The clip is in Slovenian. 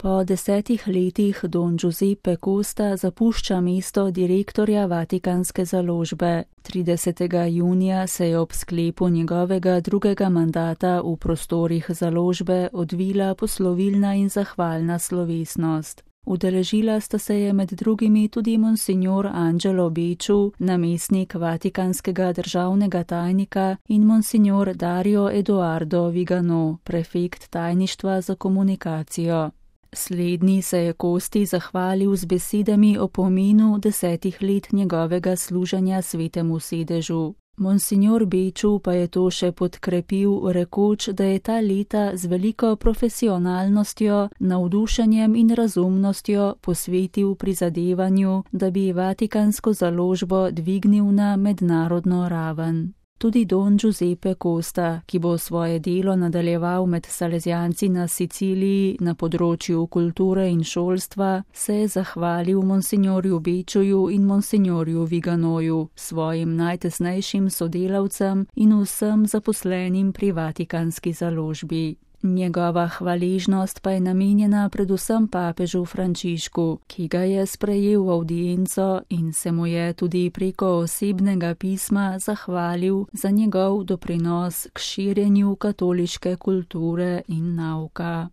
Po 10 letih don Giuseppe Costa zapušča mesto direktorja Vatikanske založbe. 30. junija se je ob sklepu njegovega drugega mandata v prostorih založbe odvila poslovilna in zahvalna slovesnost. Udeležila sta se je med drugimi tudi monsignor Angelo Becciu, namestnik vatikanskega državnega tajnika, in monsignor Dario Edoardo Vigano, prefekt tajništva za komunikacijo. Slednji se je Costi zahvalil z besedami o pomenu 10 let njegovega služenja svetemu sedežu. Monsignor Becciu pa je to še podkrepil, rekoč, da je ta leta z veliko profesionalnostjo, navdušenjem in razumnostjo posvetil prizadevanju, da bi Vatikansko založbo dvignil na mednarodno raven. Tudi don Giuseppe Costa, ki bo svoje delo nadaljeval med Salezijanci na Siciliji na področju kulture in šolstva, se je zahvalil monsignorju Becciuju in monsignorju Viganoju, svojim najtesnejšim sodelavcem in vsem zaposlenim pri Vatikanski založbi. Njegova hvaležnost pa je namenjena predvsem papežu Frančišku, ki ga je sprejel v avdienco in se mu je tudi preko osebnega pisma zahvalil za njegov doprinos k širjenju katoliške kulture in nauka.